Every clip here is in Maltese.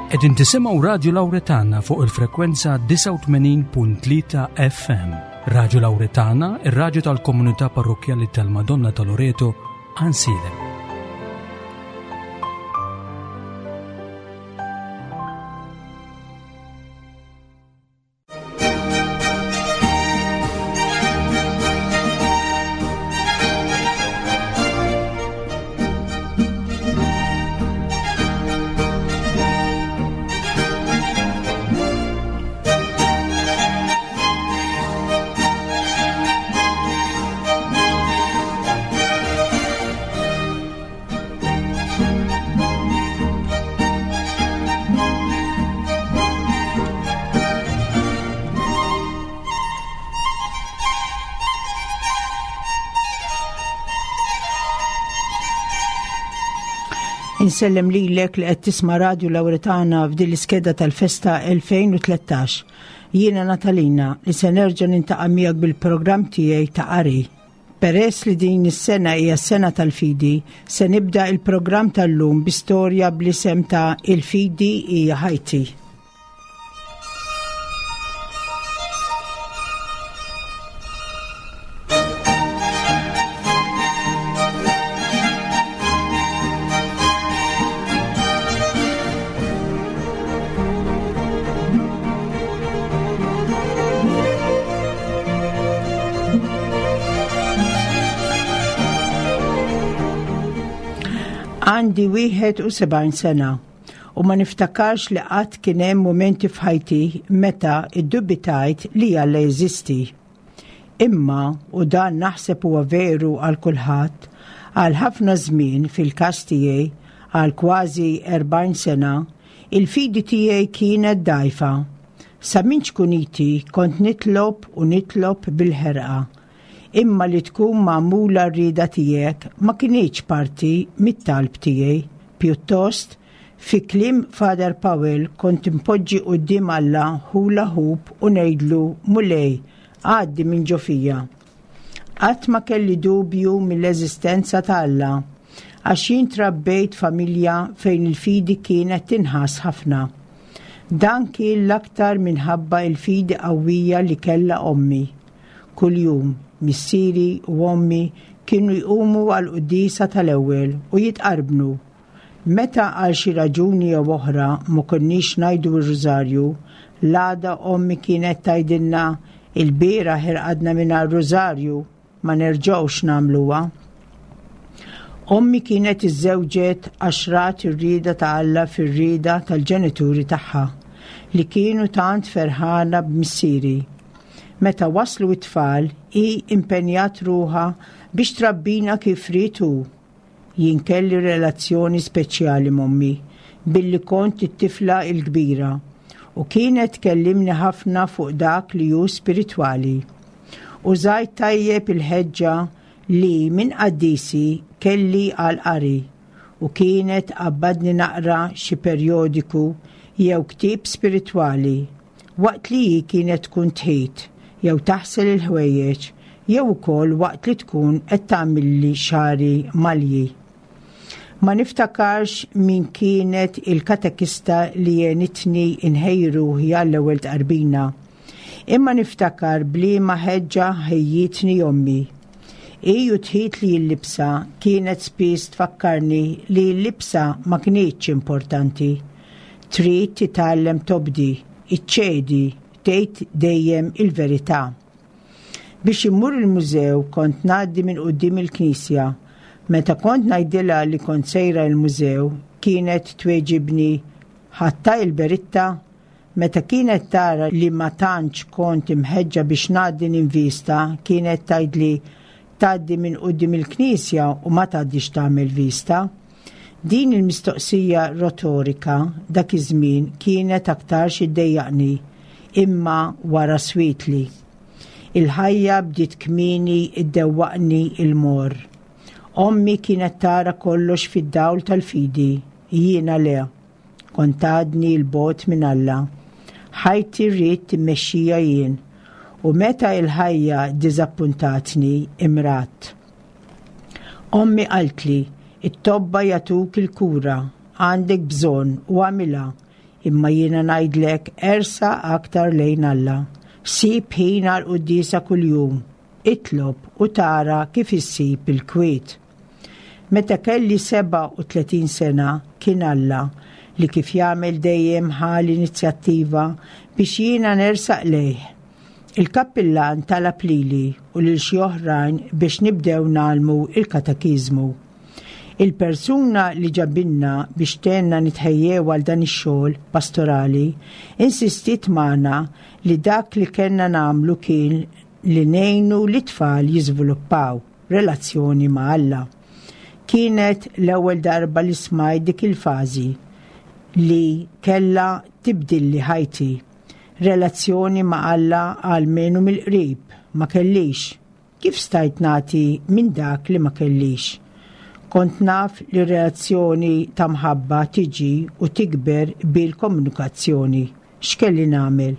Qegħdin tisimgħu Radju Lawretana fuq il-frekwenza 89.3 FM. Radju Lawretana, ir-radju tal-komunità parrokkjali tal-Madonna ta' Loreto, Ansilem. Insellem lilek li qed tisma' Radju Lawretana f'din l-iskeda tal-festa 2013. Jiena Natalina li se nerġa' nintaqa' miegħek bil-programm tiegħi ta' qari. Peress li din is-sena hija s-sena tal-fidi, se nibda il-programm tal-lum bi storja bl-isem ta' Il-Fidi hija ħajti. Għandi 71 sena u ma niftakarx li qatt kien hemm mumenti f'ħajti meta iddubitajt li Alla jeżisti. Imma, u dan naħseb huwa veru għal kulħadd, għal ħafna żmien fil-każ tiegħi, għal kważi 40 sena, il-fidi tiegħi kienet dgħajfa. Sa minn ċkuniti kont nitlob u nitlob bil-ħerqa. Imma li tkun magħmula r-rieda tiegħek ma kinitx parti mit-talb tiegħi. Pjuttost, fi kliem Father Powell kont inpoġġi quddiem Alla hula hoop u ngħidlu, Mulej, għaddi minn ġo fija. Qatt ma kelli dubju mill-eżistenza ta' Alla, għax jien trabbejt familja fejn il-fidi kienet tinħass ħafna. Dan kien l-aktar minħabba l-fidi qawwija li kellha ommi. Kuljum, missieri u ommi kienu jqumu għall-quddiesa tal-ewwel u jitqarbnu. Meta għal xi raġuni jew oħra ma konniex ngħidu r-rużarju, l-għada ommi kienet tgħidilna, Il-bieraħ irqadna mingħajr rużarju, ma nerġgħux nagħmluha. Ommi kienet iżżewġet għax rat ir-rieda ta' Alla fir-rieda tal-ġenituri tagħha, li kienu tant ferħana b'missieri. Meta waslu t-tfal, hi impenjat ruħha biex trabbina kif ried hu. Jien kelli relazzjoni speċjali m'ommi billi kont it-tifla l-kbira u kienet tkellimni ħafna fuq dak li hu spiritwali. Użajt tajjeb il-ħeġġa li minn qaddisi kelli għall-qari u kienet tqabbadni naqra xi perjodiku jew ktieb spiritwali waqt li hi kienet tkun tħit jew taħsel il-ħwejjeġ jew ukoll waqt li tkun qed tagħmilli xagħri malji. Ma niftakarx min kienet il-katekista li għenitni nħejji ruħi għall-ewwel tqarbina. Imma niftakar b'liema ħeġġa ħejjietni ommi. Hi u tħitli l-libsa kienet spiss tfakkarni li l-libsa ma kinitx importanti. Trid titgħallem tobdi, iċċedi, tgħid dejjem il-verità. Biex immur il-mużew kont ngħaddi minn quddiem il-knisja. Meta kont ngħidilha li kont sejra il-mużew, kienet tweġibni ħadtha il-beritta? Meta kienet tara li ma tantx kont imħeġġa biex ngħaddi ninvista, kienet tgħidli tgħaddi minn quddiem il-knisja u ma tgħaddix tagħmel vista. Din il-mistoqsija rotorika dak iż-żmien kienet aktarx iddejjaqni, imma wara swietli. Il-ħajja bdiet kmieni ddewwaqni l-morr. Ommi kienet tara kollox fid-dawl tal-fidi, jiena le. Kont għadni 'l bogħod minn Alla. Ħajti ridt immexxija jien, u meta l-ħajja ddiżappuntatni, imradt. Ommi qaltli, It-tobba jagħtuk il-kura, għandek bżonn u agħmilha. Imma jiena ngħidlek ersaq aktar lejn Alla. Sib ħin għall-quddiesa kuljum. Itlob u tara kif issib il-kwiet. Meta kelli 37 sena kien Alla li kif jagħmel dejjem ħa l-inizjattiva biex jiena nersaq lejh. Il-kappillan talab lili u lil xi oħrajn biex nibdew nagħlmu il-katakiżmu. Il-persuna li ġabilna biex tgħinna nitħejjew għal dan ix-xogħol pastorali insistiet magħna li dak li kellna nagħmlu kien li ngħinu lit-tfal jiżviluppaw relazzjoni ma' Alla. Kienet l-ewwel darba li smajt dik il-fażi li kellha tibdilli ħajti. Relazzjoni ma' Alla almenu mill-qrib ma kellix. Kif stajt nagħti minn dak li ma kellix? Kont naf li relazzjoni ta' mħabba tiġi u tikber bil-komunikazzjoni. X'kelli nagħmel?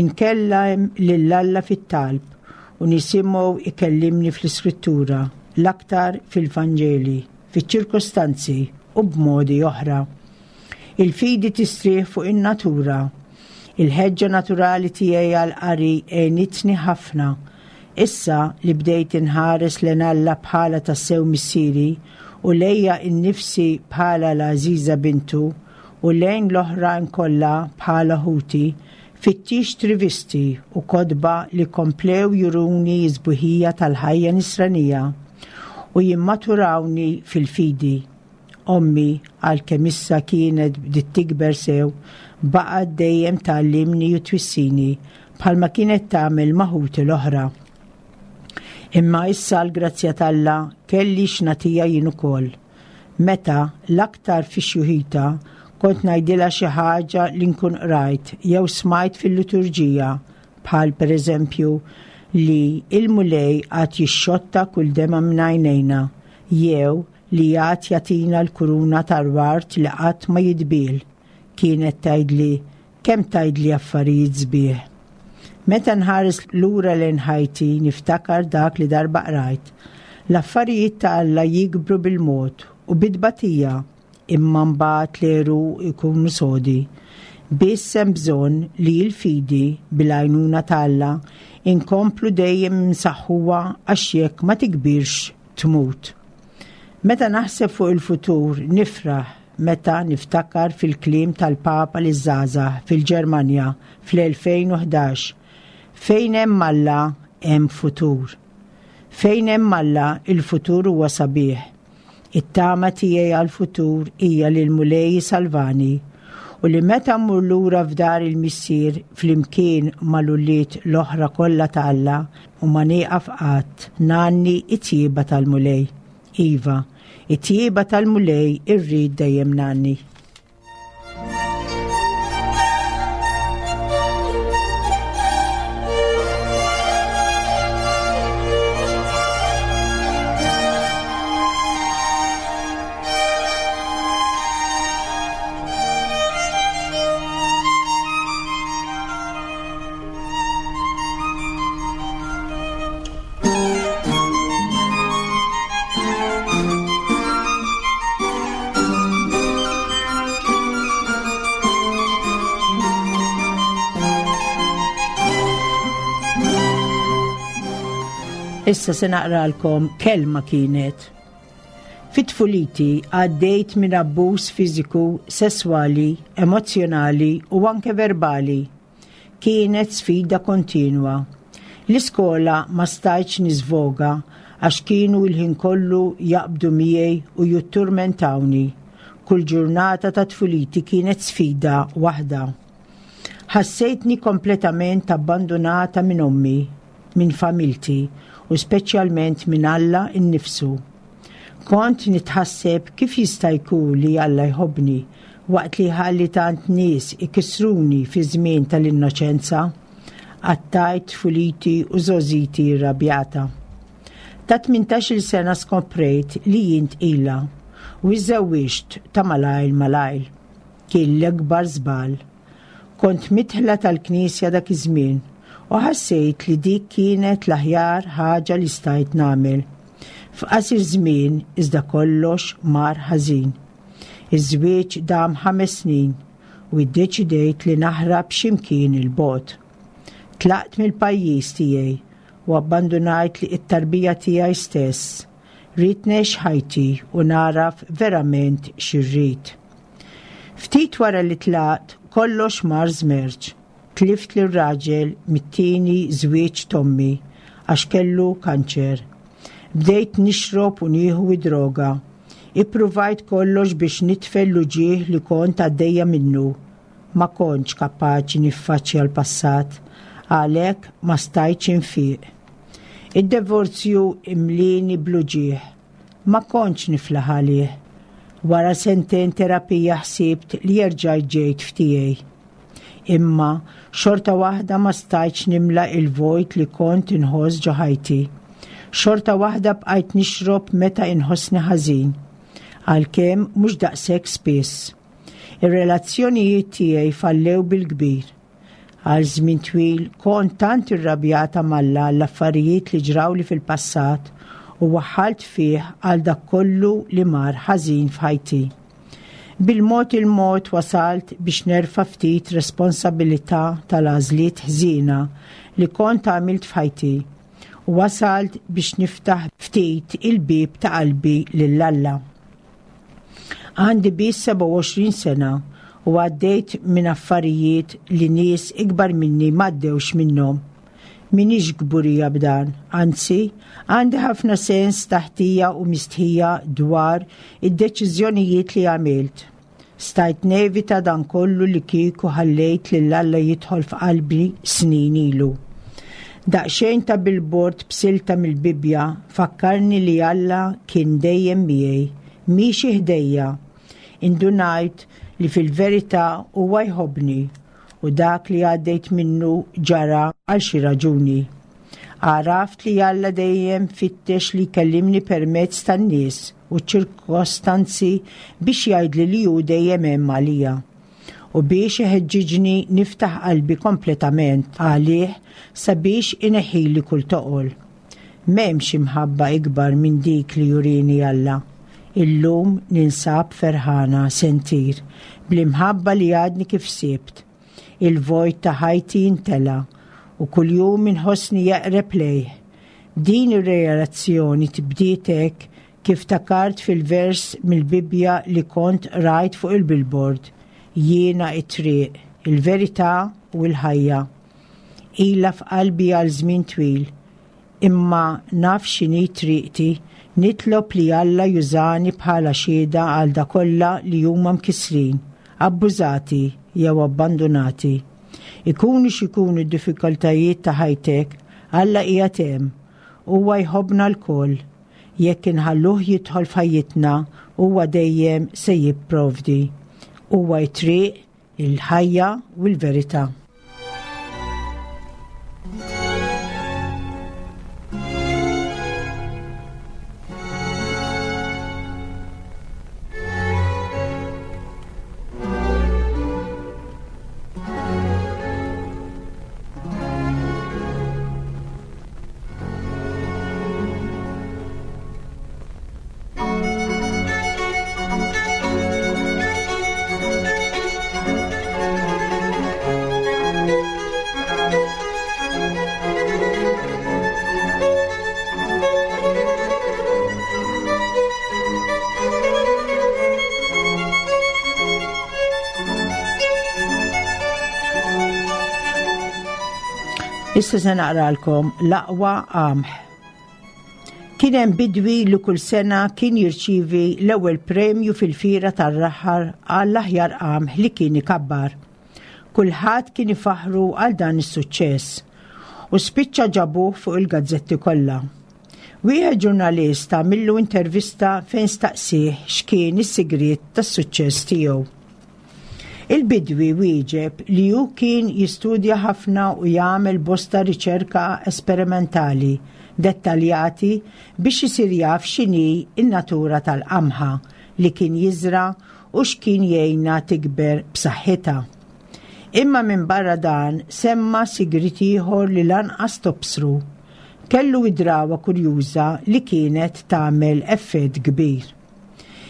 Inkellem lil Alla fit-talb u nisimgħu ikellimni fl-Iskrittura, l-aktar fil-Vanġeli, fiċ-ċirkostanzi u b'modi oħra. Il-fidi tistrieħ fuq in-natura. Il-ħeġġa naturali tiegħi għall-qari għenitni ħafna. Issa li bdejt inħares lejn Alla bħala tassew missieri u lejja nnifsi bħala l-għażiża bintu u lejn l-oħrajn kollha bħala ħuti, fittixt rivisti u kotba li komplew juruni s-sbuħija tal-ħajja nisranija u jimmaturawni fil-fidi. Ommi, għalkemm issa kienet bdiet tikber sew, baqgħet dejjem tgħallimni u twissini bħalma kienet tagħmel ma' ħuti l-oħra. Imma issa għall-grazzja t'Alla kelli x'nagħtiha jien ukoll. Meta, l-aktar fi xjuħita, kont ngħidilha xi ħaġa li nkun qrajt jew smajt fil-liturġija, bħal pereżempju li il-Mulej għad jixxotta kull demgħa minn għajnejna jew li għad jagħtina l-kuruna tal-ward li qatt ma jitbiel. Kienet tgħidli, kemm tgħidli affarijiet sbieħ. Meta nħares lura lejn ħajti niftakar dak li darba qrajt. L-affarijiet ta' Alla jikbru bil-mod u bit-tbatija, imma mbagħad l-għeruq ikunu sodi. Biss hemm bżonn li l-fidi, bil-għajnuna ta' Alla, inkomplu dejjem insaħħuha għax jekk ma tikbirx tmut. Meta naħseb fuq il-futur nifraħ meta niftakar fil-kliem tal-Papa liż-żgħażagħ fil-Ġermanja fl-2011, Fejn hemm Alla hemm futur. Fejn hemm Alla il-futur huwa sabiħ. It-tama tiegħi għall-futur hija li l-Mulej isalvani u li meta mmur lura f'dar il-Missier flimkien mal-ulied l-oħra kollha ta' Alla u ma nieqaf qatt ngħanni t-tjieba tal-Mulej. Iva, it-tjieba tal-Mulej irrid dejjem ngħanni. Issa se naqralkom kelma kienet. Fit-tfuliti għaddejt minn abbuż fiżiku, sesswali, emozzjonali u anke verbali. Kienet sfida kontinwa. L-iskola ma stajtx niżvoga għax kienu l-ħin kollu jaqbdu miegħi u jutturmentawni. Kull ġurnata ta' tfuliti kienet sfida waħda. Ħassejtni kompletament abbandunata minn ommi, minn familti u speċjalment minn Alla nnifsu. Kont nitħasseb kif jista' jkun li Alla jħobbni waqt li jħalli tant nies ikissruni fi żmien tal-innoċenza. Qattajt tfuliti u żgħożiti rrabjata. Ta' tmintax-il sena skoprejt li jien tqila u iżżewwiġt ta' malajr malajr. Kien l-ikbar żball. Kont midħla tal-Knisja dak iż-żmien u ħassejt li dik kienet l-aħjar ħaġa li stajt nagħmel. F'qasir żmien iżda kollox mar ħażin. Iż-żwieġ dam ħames snin. u iddeċidejt li naħrab xi mkien 'il bogħod. Tlaqt mill-pajjiż tiegħi u abbandunajt li t-tarbija tiegħi stess. Ridt ngħix ħajti u nagħraf verament xi rrid. Ftit wara li tlaqt, kollox mar żmerċ. Tlift lir-raġel mit-tieni żwieġ t'ommi għax kellu kanċer. Bdejt nixrob u nieħu d-droga. Ippruvajt kollox biex nitfel l-uġigħ li kont għaddejja minnu. Ma kontx kapaċi niffaċċja l-passat, għalhekk ma stajtx infiq. Id-divorzju imlieni bl-uġigħ. Ma kontx niflaħ għalih. Wara sentejn terapija ħsibt li erġajt ġejt f'tiegħi. Imma xorta waħda ma stajtx nimla il-vojt li kont inħoss ġo ħajti. Xorta waħda bqajt nixrob meta inħossni ħażin. Għalkemm mhux daqshekk spiss. Ir-relazzjonijiet tiegħi fallew bil-kbir. Għal żmien twil kont tant irrabjata m'Alla għall-affarijiet li ġrawli fil-passat u waħħalt fih għal dak kollu li mar ħażin f'ħajti. Bil-mod il-mod wasalt biex nerfa' ftit responsabilità tal-għażliet ħżiena li kont għamilt f'ħajti u wasalt biex niftaħ ftit il-bieb ta' qalbi lil Alla. Għandi biss 27 sena u għaddejt minn affarijiet li nies ikbar minni m'għaddewx minnhom. M'iniex kburija b'dan, anzi, għandi ħafna sens ta' ħtija u mistħija dwar id-deċiżjonijiet li għamilt. Stajt nevita dan kollu li kieku ħallejt lil Alla jidħol f'qalbi snin ilu. Daqsxejn ta' billboard b'silta mill-Bibbja fakkarni li Alla kien dejjem miegħi, miexi ħdejja. Indunajt li fil-verità huwa jħobbni u dak li għaddejt minnu ġara għal xi raġuni. Għaraft li Alla dejjem fittex li jkellimni permezz tan-nies u ċ-ċirkostanzi biex jgħidli li hu dejjem hemm għalija u biex iħeġġiġni niftaħ qalbi kompletament għalih sabiex ineħħili kull toqol. M'hemmx imħabba ikbar minn dik li jurini Alla. Illum ninsab ferħana se ntir bl-imħabba li għadni kif sibt. Il-vojt ta' ħajti intela u kuljum inħossni eqreb lejh. Din ir-realazzjoni tbdiet hekk kif ftakart fil-vers mill-Bibbja li kont qrajt fuq il-billboard, Jiena t-triq, il-verità u l-ħajja. Ilha f'qalbi għal żmien twil. Imma naf x'inhi triqti, nitlob li Alla jużani bħala xhieda għal dak kollha li huma mkissrin, abbużati jew abbandunati. Ikunu x'ikunu d-diffikultajiet ta' ħajtek, Alla qiegħed hemm. Huwa jħobbna lkoll. Jekk inħalluh jidħol f'ħajjitna, huwa dejjem se jipprovdi. Huwa t-triq, il-ħajja u l-verità. Issa se naqralkom l-aqwa qamħ. Kien hemm bidwi li kull sena kien jirċievi l-ewwel premju fil-fiera tar-raħal għall-aħjar qamħ li kien ikabbar. Kulħadd kien ifaħħru għal dan is-suċċess u spiċċa ġabuh fuq il-gazzetti kollha. Wieħed ġurnalist għamillu intervista fejn staqsieh x'kien is-sigriet tas-suċċess tiegħu. Il-bidwi wieġeb li hu kien jistudja ħafna u jagħmel bosta riċerka esperimentali dettaljati biex isir jaf x'inhi n-natura tal-qamħa li kien jiżra' u x'kien jgħinha tikber b'saħħitha. Imma minbarra dan semma sigriet ieħor li lanqas tobsru. Kellu id-drawwa kurjuża li kienet tagħmel effett kbir.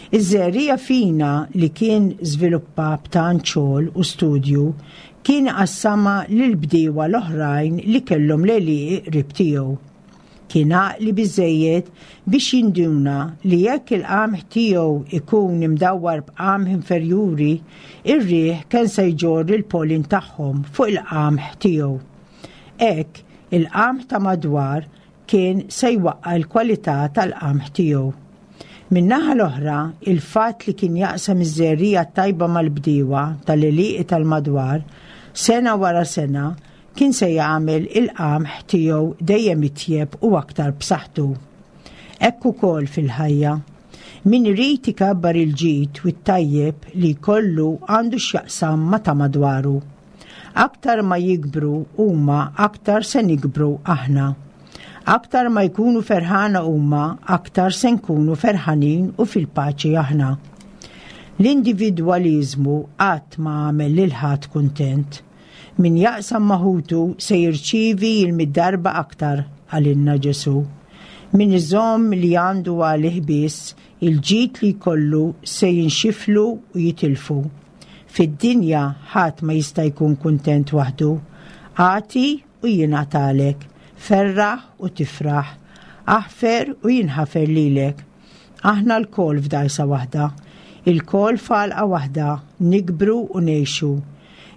Iż-żerriegħa fina li kien żviluppa b'tant xogħol u studju kien iqassamha lill-bdiewa l-oħrajn li kellhom l-għelieqi qrib tiegħu. Kien għaqli biżżejjed biex jinduna li jekk il-qamħ tiegħu ikun imdawwar b'qamħ inferjuri, ir-riħ kien se jġorr il-pollen tagħhom fuq il-qamħ tiegħu. Hekk, il-qamħ ta' madwar kien se jwaqqa' l-kwalità tal-qamħ tiegħu. Min-naħa l-oħra, il-fatt li kien jaqsam iż-żerriegħa t-tajba mal-bdiewa tal-għelieqi tal-madwar, sena wara sena, kien se jagħmel il-qamħ tiegħu dejjem itjeb u aktar b'saħħtu. Hekk ukoll fil-ħajja. Min irid ikabbar il-ġid u t-tajjeb li jkollu għandu x'jaqsam ma' ta' madwaru. Aktar ma jikbru huma aktar se nikbru aħna. Aktar ma jkunu ferħana huma aktar se nkunu ferħanin u fil-paċi aħna. L-individwaliżmu qatt ma għamel lil ħadd kuntent. Min jaqsam ma' ħutu se jirċievi il-mitt darba aktar, qalilna Ġesù. Min iżomm li għandu għalih biss, il-ġid li jkollu se jinxiflu u jitilfu. Fid-dinja ħadd ma jista' jkun kuntent waħdu. Agħti u jingħatalek. Ferraħ u tifraħ. Aħfer u jinħafer lilek. Aħna lkoll f'dgħajsa waħda. Ilkoll f'għalqa waħda, nikbru u ngħixu.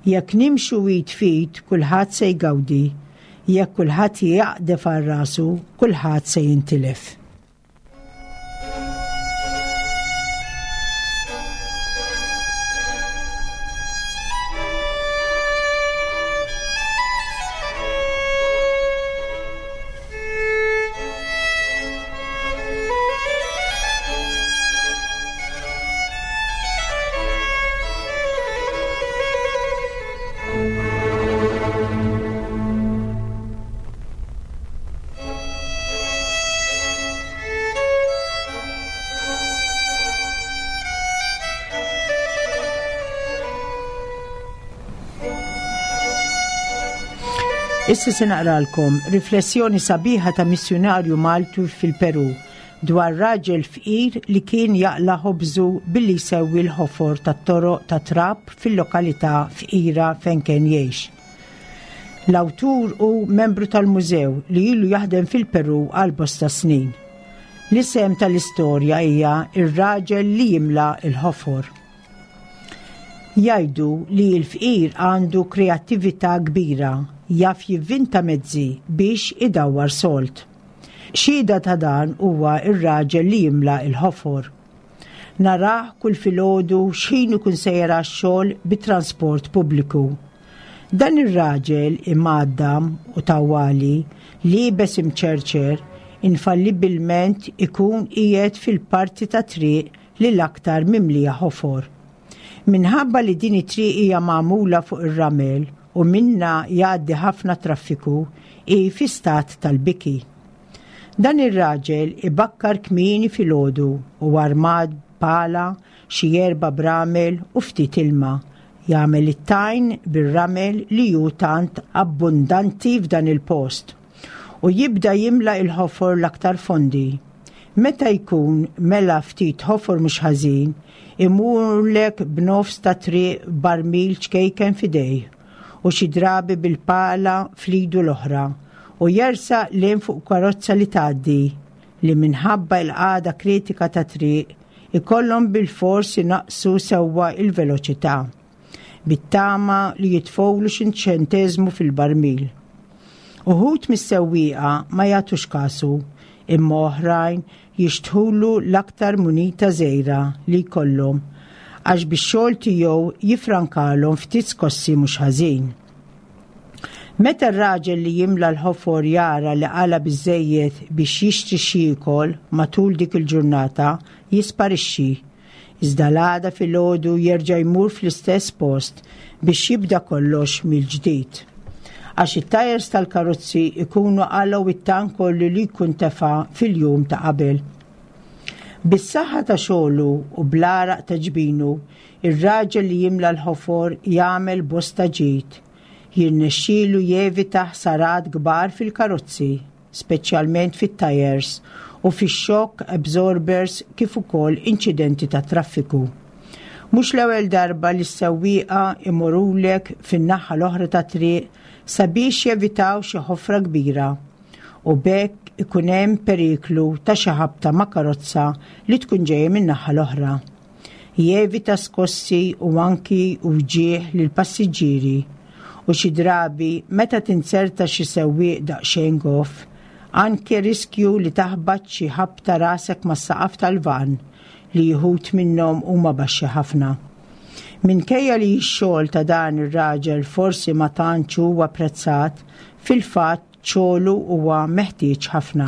Jekk nimxu id f'id kulħadd se jgawdi. Jekk kulħadd jaqdef għal rasu, kulħadd se jintilef. Issa se naqralkom riflessjoni sabiħa ta' missjunarju Maltu fil-Peru dwar raġel fqir li kien jaqla ħobżu billi jsewwi l-ħofor tat-toroq ta' trab fil-lokalità fqira fejn kien jgħix. L-awtur hu membru tal-mużew li ilu jaħdem fil-Peru għal bosta snin. L-isem tal-istorja hija Ir-raġel li jimla l-ħofor. Jgħidu li l-fqir għandu kreattività kbira, jaf jivvinta mezzi biex idawwar sold. Xhieda ta' dan huwa r-raġel li jimla l-ħofor. Narah kull filgħodu x'ħin ikun sejjer għax-xogħol bit-transport pubbliku. Dan ir-raġel imgħaddam u tawwali, liebes imċerċer, infallibbilment ikun qiegħed fil-parti tat-triq li l-aktar mimlija ħofor. Minħabba li din it-triq hija magħmula fuq ir-ramel u minnha jgħaddi ħafna traffiku, hi fi stat tal-biki. Dan ir-raġel ibakkar kmieni filgħodu u armat b'pala, xi erba' bramel u ftit ilma. Jagħmel it-tajn bir-ramel li hu tant abbundanti f'dan il-post. U jibda jimla il-ħofor l-aktar fondi. Meta jkun mela ftit ħofor mhux ħażin, imurlek b'nofs ta' triq b'barmil ċkejken f'idejh u xi drabi bil-pala fl-idu l-oħra u jersaq lejn fuq karozza li tgħaddi li minħabba l-qagħda kritika tat-triq ikollhom bilfors inaqqsu sewwa l-veloċità bit-tama li jitfgħulu xi ċenteżmu fil-barmil. Uħud mis-sewwieqa ma jagħtux kasu imma oħrajn jixtħulu l-aktar munita żgħira li jkollhom għax bix-xogħol tiegħu jiffrankalhom ftit skossi mhux ħażin. Meta r-raġel li jimla l-ħofor jara li qala biżżejjed biex jixtri x'jiekol matul dik il-ġurnata, jisparixxi. Iżda l-għada filgħodu jerġa' jmur fl-istess post biex jibda kollox mill-ġdid. Għax it-tajers tal-karozzi jkunu qalgħu it-tank kollu li jkun tefa' fil-jum ta' qabel. Bis-saħħa ta' xogħlu u bl-għaraq ta' ġbinu, ir-raġel li jimla l-ħofor jagħmel bosta ġid. Jirnexxielu jevita ħsarat kbar fil-karozzi, speċjalment fit-tajers, u fix-shock absorbers kif ukoll inċidenti tat-traffiku. Mhux l-ewwel darba li s-sewwieqa imorulek fin-naħa l-oħra tat-triq sabiex jevitaw xi ħofra kbira u b'hekk ikun hemm periklu ta' xi ħabta ma' karozza li tkun ġejja min-naħa l-oħra. Jevita skossi u anki wġigħ lill-passiġġieri u xi drabi meta tinzerta xi sewwieq daqsxejn goff, anke riskju li taħbat xi ħabta rasek mas-saqaf tal-vann li wħud minnhom huma baxxi ħafna. Minkejja li x-xogħol ta' dan ir-raġel forsi ma tantx huwa apprezzat, fil-fatt xogħlu huwa meħtieġ ħafna.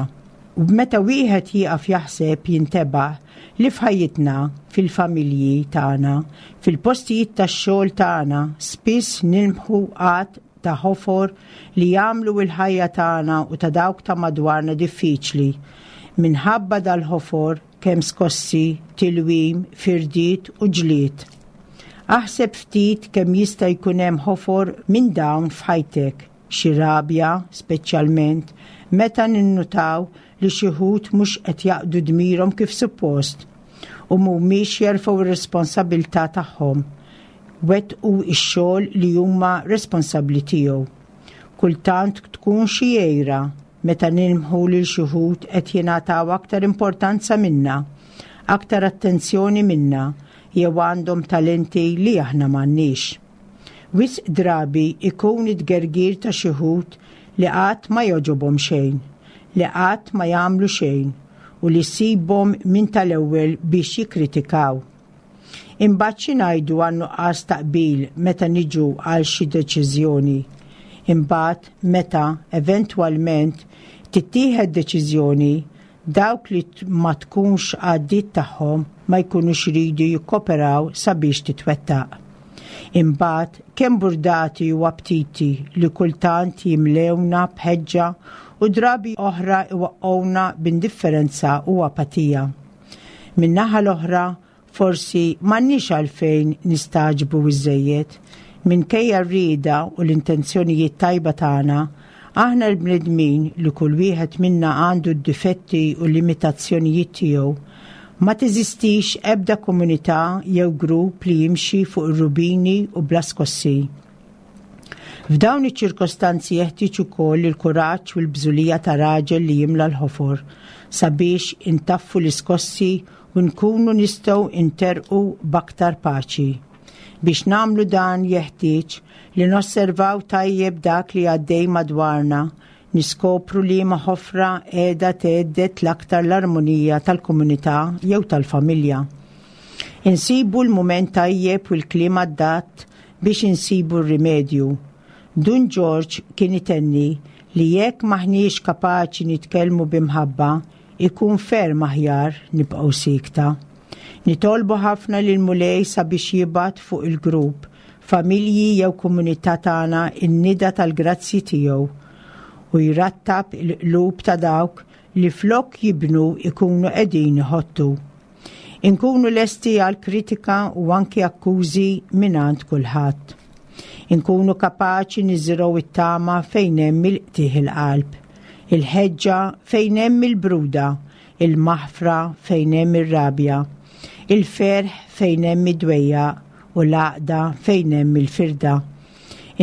U meta wieħed jieqaf jaħseb jintebaħ li f'ħajjitna, fil-familji tagħna, fil-postijiet tax-xogħol tagħna spiss nilmħu għadd ta' ħofor li jagħmlu l-ħajja tagħna u ta' dawk ta' madwarna diffiċli. Minħabba dal-ħofor kemm skossi, tilwim, firdiet u ġlied. Aħseb ftit kemm jista' jkun hemm ħofor minn dawn f'ħajtek. Xi rabja, speċjalment meta ninnutaw li xi wħud mhux qed jaqdu dmirhom kif suppost u mhumiex jerfgħu r-responsabilità tagħhom, wettqu x-xogħol li huma responsabbli tiegħu. Kultant tkun xi għira meta nilmħu lil xi wħud qed jingħataw aktar importanza minna, aktar attenzjoni minna jew għandhom talenti li aħna m'għandniex. Wisq drabi ikun it-tgergir ta' xi wħud li qatt ma jogħġobhom xejn, li qatt ma jagħmlu xejn u li ssibhom minn tal-ewwel biex jikkritikaw. Imbagħad xi ngħidu għan-nuqqas ta' qbil meta niġu għal xi deċiżjoni? Imbagħad meta, eventwalment, tittieħed deċiżjoni, Dawk li ma tkunx għaddiet tagħhom ma jkunux iridu jikkoperaw sabiex titwettaq. Imbagħad kemm burdati u aptiti li kultant jimlewna b'ħeġġa u drabi oħra iwaqqgħuna b'indifferenza u apatija. Min-naħa l-oħra, Forsi m'għandniex għalfejn nistagħġbu iżżejjed. Minkejja r-rieda u l-intenzjonijiet tajba tagħna, aħna l-bnedmin li kull wieħed minna għandu d-difetti u l-limitazzjonijiet tiegħu, ma teżistix ebda komunità jew grupp li jimxi fuq ir-rubini u bla skossi. F'dawn iċ-ċirkostanzi jeħtieġ ukoll il-kuraġġ u l-bżulija ta' raġel li jimla l-ħofor sabiex intaffu l-iskossi u nkunu nistgħu nterrqu b'aktar paċi. Biex nagħmlu dan jeħtieġ li nosservaw tajjeb dak li għaddej madwarna, niskopru liema ħofra qiegħda thedded l-aktar l-armonija tal-komunità jew tal-familja. Insibu l-mument tajjeb u l-kliem adatt biex insibu r-rimedju. Dun Ġorġ kien itenni li jekk m'aħniex kapaċi nitkellmu b'imħabba, Ikun ferm aħjar nibqgħu siekta. Nitolbu ħafna lill-Mulej sabiex jibgħat fuq il-grupp, familji jew komunità tagħna n-nida tal-grazzji tiegħu u jrattab il-qlub ta' dawk li flok jibnu ikunu qegħdin iħottu. Inkunu lesti għal kritika u anki akkużi mingħand kulħadd. Inkunu kapaċi niżirgħu it-tama fejn hemm il-qtigħ il-qalb, il-ħeġġa fejn hemm il-bruda, il-maħfra fejn hemm ir-rabja, il-ferħ fejn hemm id-dwejjaq u l-għaqda fejn hemm il-firda.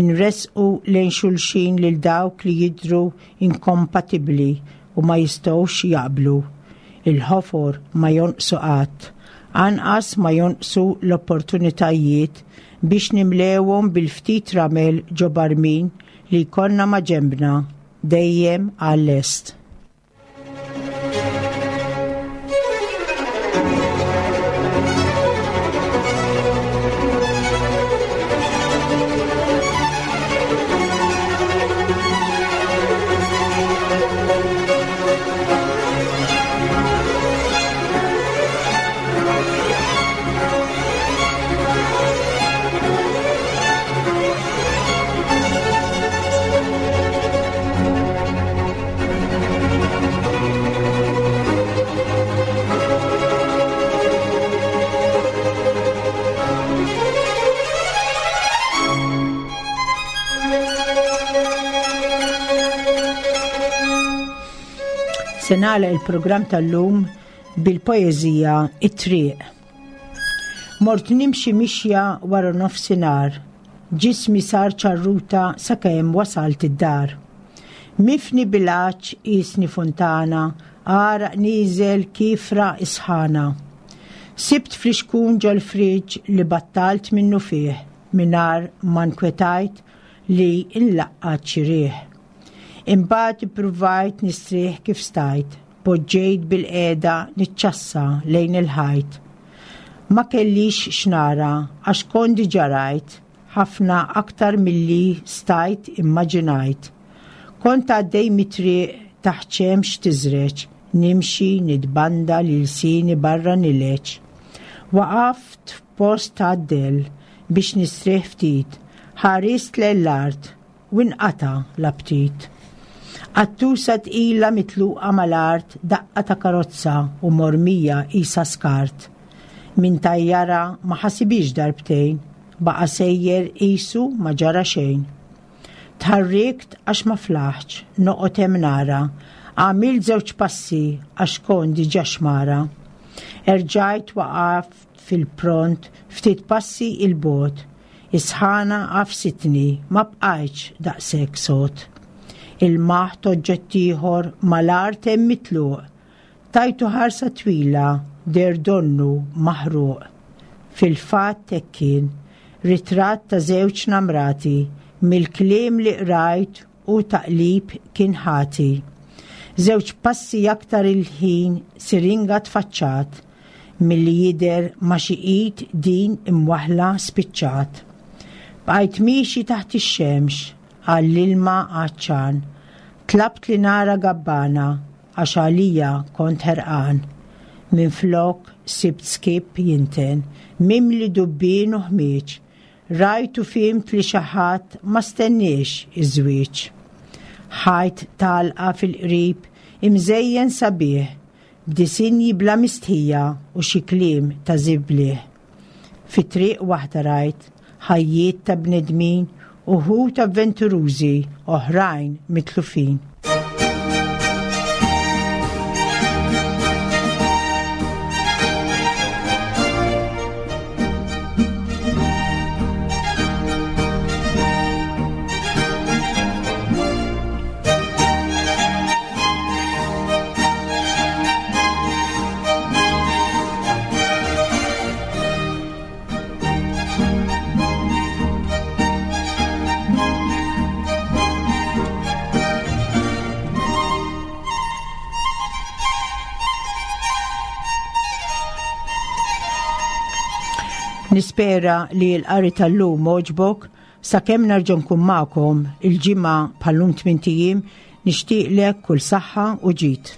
Inressqu lejn xulxin lil dawk li jidhru inkompatibbli u ma jistgħux jaqblu. Il-ħofor ma jonqsu qatt, anqas ma jonqsu l-opportunitajiet biex nimlewhom bil-ftit ramel ġo barmin li jkollna maġenbna, dejjem għal-lest. Se nagħlaq il-programm tal-lum bil-poeżija It-Triq. Mort nimxi mixja wara nofsinhar, ġismi sar ċarruta sakemm wasalt id-dar. Mifni bil-għatx qisni funtana, għaraq nieżel kiefra isħana. Sibt flixkun ġol-friġġ li battalt minnufih mingħajr ma nkwetajt li nlaqqat xi riħ. Imbagħad ippruvajt nistrieħ kif stajt, poġġejt bilqiegħda niċċassa lejn il-ħajt. Ma kellix x'nara għax kont diġà rajt ħafna aktar milli stajt immaġinajt. Kont għaddej mit-triq taħt xemx tiżreġ, nimxi nitbanda li lsieni barra nileġ. Waqaft f'post għad-dell biex nistrieħ ftit, ħarist lejn l-art u nqata' l-aptit. Qattusa tqila mitluqa mal-art daqqa ta' karozza u mormija qisha skart. Min tajjarha ma ħasibhiex darbtejn, baqa' sejjer qisu ma ġara xejn. Tħarrikt għax ma flaħtx noqgħod hemm nara, għamilt żewġ passi għax kont diġà xmara. Erġajt waqaft fil-pront ftit passi 'il bogħod. Is-sħana għafsitni, ma bqajtx daqshekk sod. Ilmaħt oġġett ieħor mal-art hemm mitluq. Tajtu ħarsa twila, deher donnu maħruq. Fil-fatt hekk kien, ritratt ta' żewġ namrati, mill-kliem li qrajt u taqlib kien ħati. Żewġ passi aktar il-ħin siringa tfaċċat, milli jidher ma' xi id din imwaħħla spiċċat. Bqajt miexi taħt ix-xemx għall-ilma għatxan. Tlabt li nara gabbana għax għalija kont ħerqan. Minflok sibt skip jinten, mimli dubbien u ħmieġ, Rajt u fhimt li xi ħadd ma stenniex iż-żwieġ. Ħajt t'għalqa fil-qrib imżejjen sabiħ b'disinji bla mistħija u xi kliem ta' żibliħ. Fi triq waħda rajt ħajjiet ta' bnedmin uħud avventurużi oħrajn mitlufin. Nispera li l-qari tal-lum għoġbok sakemm nerġa' nkun magħkom il-ġimgħa bħallum tmint ijiem nixtieqlek kull saħħa u ġid.